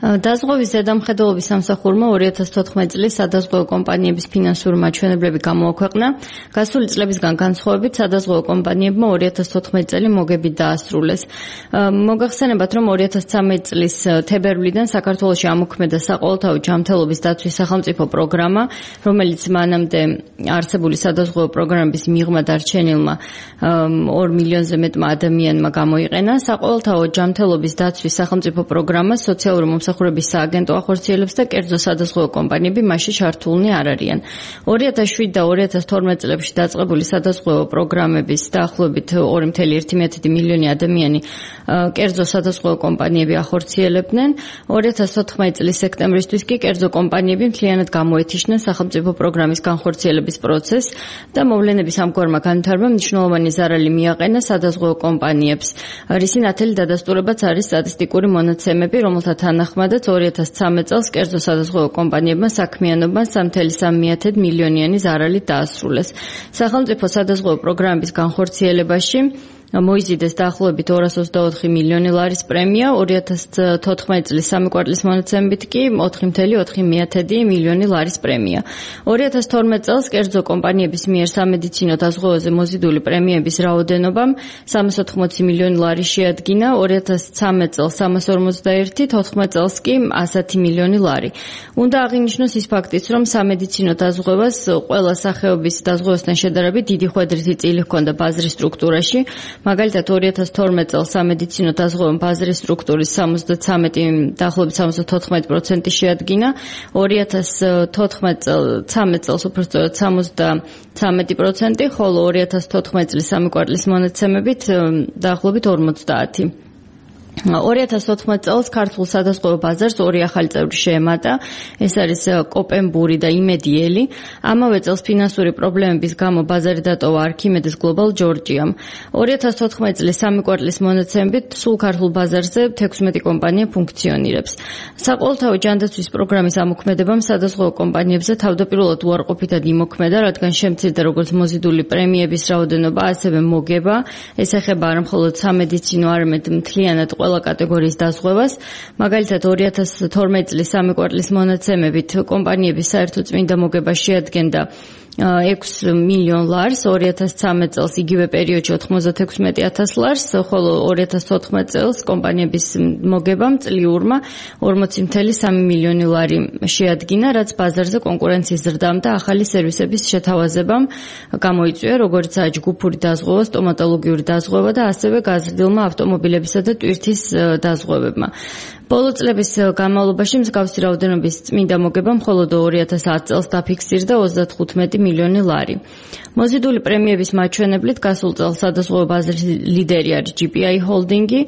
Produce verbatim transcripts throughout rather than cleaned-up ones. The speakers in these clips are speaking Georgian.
დაზღვევის ზედამხედველობის სამსახურმა ორი ათას თოთხმეტი წლის სადაზღვევო კომპანიების ფინანსური მაჩვენებლები გამოაქვეყნა. გასული წლებისგან განსხვავებით სადაზღვევო კომპანიებმა ორი ათას თოთხმეტი წელი მოგებით დაასრულეს. მოგახსენებათ, რომ ორი ათას ცხრამეტი წლის თებერვლიდან საქართველოში ამოქმედა საყოველთაო ჯანმრთელობის დაცვის სახელმწიფო პროგრამა, რომელიც მანამდე არსებული სადაზღვევო პროგრამების მიღმა დარჩენილმა ორ მილიონზე მეტმა ადამიანმა გამოიყენა. საყოველთაო ჯანმრთელობის დაცვის სახელმწიფო პროგრამა სოციალური მომსახურების სააგენტო ახორციელებს და კერძო სადაზღვევო კომპანიები მასში ჩართულნი არ არიან. ორი ათას შვიდ და ორი ათას თორმეტ წლებში დაწყებული სადაზღვევო პროგრამების დაახლოებით ორი კoma ერთი მილიონი ადამიანი კერძო სადაზღვევო კომპანიები ახორციელებდნენ. ორი ათას თოთხმეტი წლის სექტემბრისთვის კი კერძო კომპანიები მთლიანად გამოეთიშნენ სახელმწიფო პროგრამის განხორციელების პროცესს და მოვლენების ამგვარმა განვითარებამ მნიშვნელოვანი ზარალი მიაყენა სადაზღვევო კომპანიებს. რისი ნათელი დადასტურებაც არის სტატისტიკური მონაცემები, რომელთა თანახმადაც ორი ათას ცხრამეტ წელს კერძო სადაზღვევო კომპანიებმა საქმიანობამ სამი კoma სამი მილიონიანი ზარალი დაასრულეს. სახელმწიფო სადაზღვევო პროგრამების განხორციელებაში მოიზიდეს დაახლოებით ორას ოცდაოთხი მილიონი ლარის პრემია, ორი ათას თოთხმეტი წლის სამი კვარტლის მონაცემებით კი ოთხი კoma ოთხი მილიონი ლარის პრემია. ორი ათას თორმეტ წელს კერძო კომპანიების მიერ სამედიცინო დაზღვევაზე მოზიდული პრემიების რაოდენობამ სამას ოთხმოცი მილიონი ლარი შეადგინა, ორი ათას ცხრამეტ წელს სამას ორმოცდაერთი, თოთხმეტ წელს კი ასეთი მილიონი ლარი. უნდა აღინიშნოს ის ფაქტიც, რომ სამედიცინო დაზღვევას ყველა სახეობის დაზღვევასთან შედარებით დიდი ხვედრითი წილი ჰქონდა ბაზრის სტრუქტურაში. მაგალითად ორი ათას თორმეტ წელს სამედიცინო დაზღვევამ ბაზრის სტრუქტურის სამოცდაცამეტი დაახლოებით სამოცდათოთხმეტი პროცენტი შეადგინა, ორი ათას თოთხმეტ წელს უბრალოდ სამოცდაცამეტი პროცენტი, ხოლო ორი ათას თოთხმეტი წლის სამი კვარტლის მონაცემებით დაახლოებით ორმოცდაათი. ორი ათას თოთხმეტ წელს ქართულ სადაზღვევო ბაზარს ორი ახალი წევრი შეემატა, ეს არის კოპენბური და იმედიელი. ამავე წელს ფინანსური პრობლემების გამო ბაზარი დატოვა არქიმედეს გლობალ ჯორჯიამ. ორი ათას თოთხმეტი წლის სამი კვარტლის მონაცემებით სულ ქართულ ბაზარზე თექვსმეტი კომპანია ფუნქციონირებს. საყოველთაო ჯანდაცვის პროგრამის ამოქმედებამ სადაზღვევო კომპანიებზე თავდაპირველად უარყოფითად იმოქმედა, რადგან შემცირდა როგორც მოზიდული პრემიების რაოდენობა, ასევე მოგება. ეს ეხება არა მხოლოდ სამედიცინო, არამედ მთლიანად ყველა კატეგორიის დაზღვევას. მაგალითად ორი ათას თორმეტი წლის სამი კვარტლის მონაცემებით კომპანიების საერთო წმინდა მოგება შეადგენდა ექვსი მილიონ ლარს, ორი ათას ცხრამეტ წელს იგივე პერიოდში ოთხმოცდათექვსმეტი ათას ლარს, ხოლო ორი ათას თოთხმეტ წელს კომპანიების მოგებამ წლიურმა ორმოცი კoma სამი მილიონი ლარი შეადგინა, რაც ბაზარზე კონკურენციის ზრდამ და ახალი სერვისების შეთავაზებამ გამოიწვია, როგორიცაა ჯგუფური დაზღვევა, სტომატოლოგიური დაზღვევა და ასევე გაზრდილმა ავტომობილებისა და ტვირთის დაზღვევებმა. ბოლო წლების განმავლობაში მსგავსი რაოდენობის წმინდა მოგება მხოლოდ ორი ათას ათი წელს დაფიქსირდა ოცდათხუთმეტი მილიონი ლარი. მოზიდული პრემიების მაჩვენებლით გასულ წელს სადაზღვევო ბაზრის ლიდერი არის ჯი პი აი ჰოლდინგი,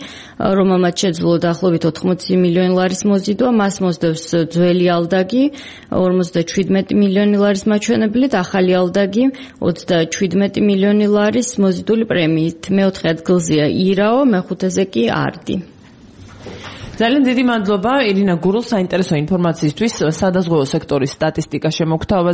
რომელმაც შეძლო დაახლოებით ოთხმოცი მილიონი ლარის მოზიდვა, მას მოსდევს ძველი ალდაგი ორმოცდაშვიდმეტი მილიონი ლარის მაჩვენებლით, ახალი ალდაგი ოცდაშვიდმეტი მილიონი ლარის მოზიდული პრემიით. მეოთხე ადგილზეა ირაო, მეხუთეზე კი არდი. ძალიან დიდი მადლობა ირინა გურულს საინტერესო ინფორმაციისთვის სადაზღვევო სექტორის სტატისტიკა შემოგთავაზეთ.